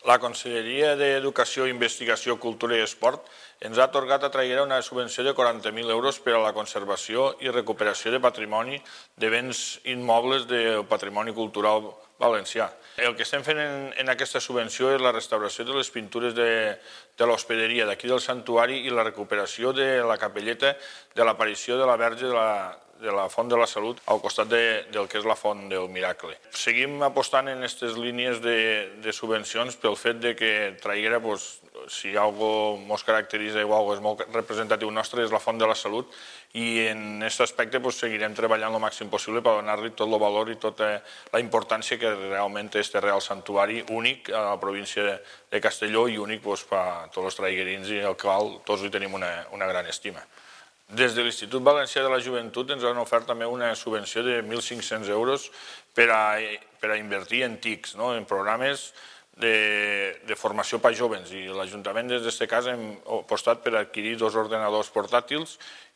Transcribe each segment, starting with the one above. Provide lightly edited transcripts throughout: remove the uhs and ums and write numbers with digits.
La Conselleria d'Educació, Investigació, Cultura i Esport ens ha atorgat a Traiguera una subvenció de 40.000 euros per a la conservació i recuperació de patrimoni de béns immobles del patrimoni cultural valencià. El que estem fent en aquesta subvenció és la restauració de les pintures de l'hospederia d'aquí del santuari i la recuperació de la capelleta de l'aparició de la Verge de la Font de la Salut al costat del que és la Font del Miracle. Seguim apostant en aquestes línies de subvencions pel fet de que Traiguera, si alguna cosa ens caracteritza o alguna cosa és molt representatiu nostre, és la Font de la Salut, i en aquest aspecte seguirem treballant el màxim possible per donar-li tot el valor i tota la importància que realment té este Real Santuari, únic a la província de Castelló i únic per a tots els traiguerins i al qual tots li tenim una gran estima. Des de l'Institut Valencià de la Joventut ens han ofert també una subvenció de 1.500 euros per a invertir en TICs, en programes de formació per a joves, i l'Ajuntament des d'aquest cas hem apostat per adquirir 2 ordinadors portàtils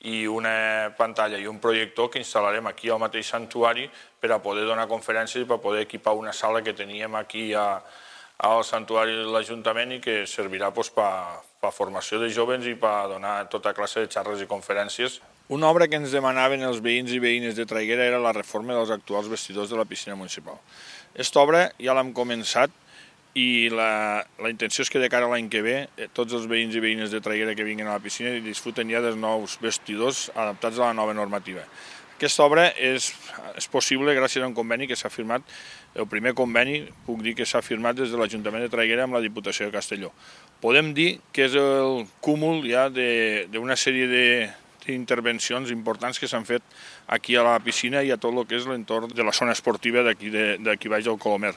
i una pantalla i un projector que instal·larem aquí al mateix santuari per a poder donar conferències i per a poder equipar una sala que teníem aquí al santuari de l'Ajuntament i que servirà per a formació de joves i per a donar tota classe de xarres i conferències. Una obra que ens demanaven els veïns i veïnes de Traiguera era la reforma dels actuals vestidors de la piscina municipal. Aquesta obra ja l'hem començat i la intenció és que de cara a l'any que ve tots els veïns i veïnes de Traiguera que vinguin a la piscina disfruten ja dels nous vestidors adaptats a la nova normativa. Aquesta obra és possible gràcies a un conveni que s'ha firmat, el primer conveni, puc dir que s'ha firmat des de l'Ajuntament de Traiguera amb la Diputació de Castelló. Podem dir que és el cúmul ja d'una sèrie d'intervencions importants que s'han fet aquí a la piscina i a tot el que és l'entorn de la zona esportiva d'aquí baix del Colomer.